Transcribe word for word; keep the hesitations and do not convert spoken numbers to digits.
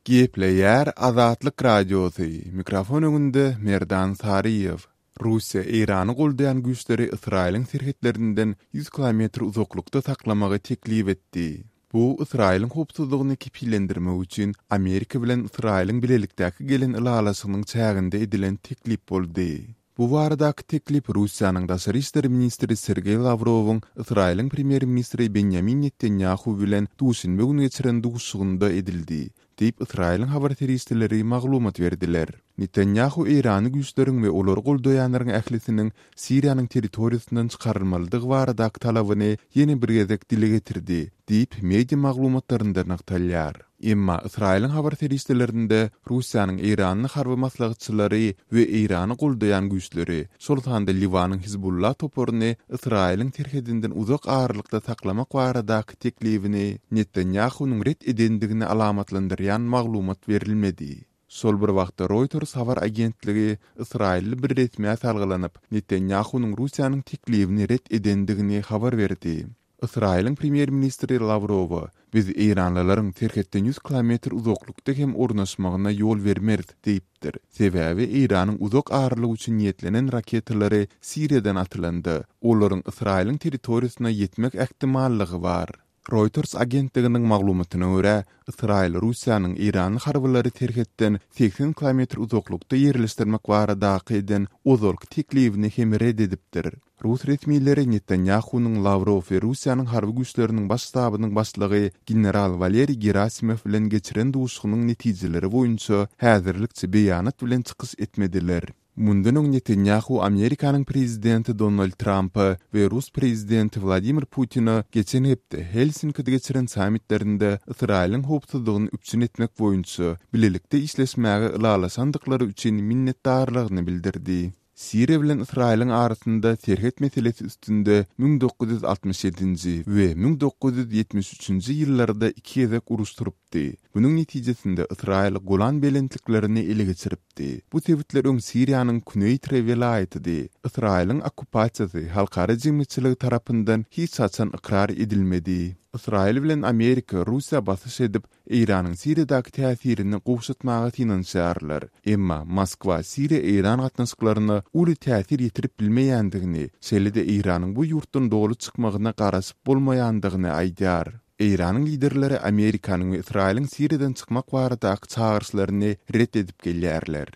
Gepleýär Azatlyk Radiosy, mikrofon öňünde Merdan Saryýew. Russiýa Eýrany goldaýan güýçleri Ysraýylyň serhetlerinden ýüz kilometr uzaklykda saklamagy teklip etdi. Bu Ysraýylyň howpsuzlygyny kepillendirmek üçin Amerika bilen Ysraýylyň bilelikdäki gelen ylalaşygynyň çäginde edilen teklip boldy. Bu baradaky teklip Russiýanyň daşary işler ministri Sergeý Lawrowyň Ysraýylyň premýer-ministri Benýamin Netanýahu bilen duşenbe güni geçiren duşuşygynda edildi, diýip Ysraýylyň habar serişdeleri maglumat berdiler. Netanýahu Eýrany güýçleriň we olary goldaýanlaryň ählisiniň Siriýanyň territoriýasyndan çykarylmalydygy baradaky talabyny ýene bir gezek dile getirdi, diýip media maglumatlarynda nygtalýar. Emma Ysraýylyň habar serişdelerinde Russiýanyň Eýranly harby maslahatçylary we Eýrany goldaýan güýçleri, şol sanda Liwanyň Hizbullah toparyny Ysraýylyň serhedinden uzak aralykda saklamak baradaky teklibini Netanýahunyň ret edendigini alamatlandyrýan maglumat berilmedi. Şol bir wagtda Reuters habar agentligi Ysraýylly bir resmä salgylanyp, Netanýahunyň Russiýanyň teklibini ret edendigini habar berdi. Ysraýylyň premýer-ministri Lawrowa, Biz eýranlylaryň serhetden ýüz kilometr uzaklykda hem ornaşmagyna ýol bermeris diýipdir. Sebäbi Eýranyň uzak aralyk üçin niýetlenen raketalary Siriýadan atylanda, olaryň Ysraýylyň territoriýasyna ýetmek ähtimallygy bar. Reuters agentliginiň maglumatyna görä, Ysraýyl Russiýanyň eýranly harbylary serhetden segsen kilometr uzaklykda ýerleşdirmek baradaky eden ozalky teklibini hem ret edipdir. Rus resmileri Netanýahunyň Lawrow we Russiýanyň harby güýçleriniň baş ştabynyň başlygy general Waleriý Gerasimow bilen geçiren duşuşygynyň netijeleri boýunça häzirlikçe beýanat bilen çykyş etmediler. Mundan öň Netanýahu Amerikanyň prezidenti Donald Trampa we rus prezidenti Wladimir Putine geçen hepde Helsinkide geçiren sammitlerinde Ysraýylyň howpsuzlygyny üpjün etmek boýunça bilelikde işleşmäge ylalaşandyklary üçin minnetdarlygyny bildirdi. Siriýa bilen Ysraýylyň arasynda serhet meselesi üstünde müň dokuz ýüz altmyş ýedinji we müň dokuz ýüz ýetmiş üçünji ýyllarda iki gezek uruş turupdy. Munuň netijesinde Ysraýyl Golan belentliklerini ele geçiripdi. Bu sebitler öň Siriýanyň Kuneýtre welaýatydy. Ysraýylyň okkupasiýasy halkara jemgyýetçiligi tarapyndan hiç haçan ykrar edilmedi. Ysraýyl bilen Amerika Russiýa basyş edip, Eýranyň Siriýadaky täsirini gowşatmaga synanyşýarlar. Emma Moskwa Siriýa-Eýran gatnaşyklaryna uly täsir ýetirip bilmeýändigini, şeýle-de Eýranyň bu ýurtdan doly çykmagyna garaşyp bolmaýandygyny aýdýar. Eýranyň liderleri Amerikanyň we Ysraýylyň Siriýadan çykmak baradaky çagyryşlaryny ret edip gelýärler.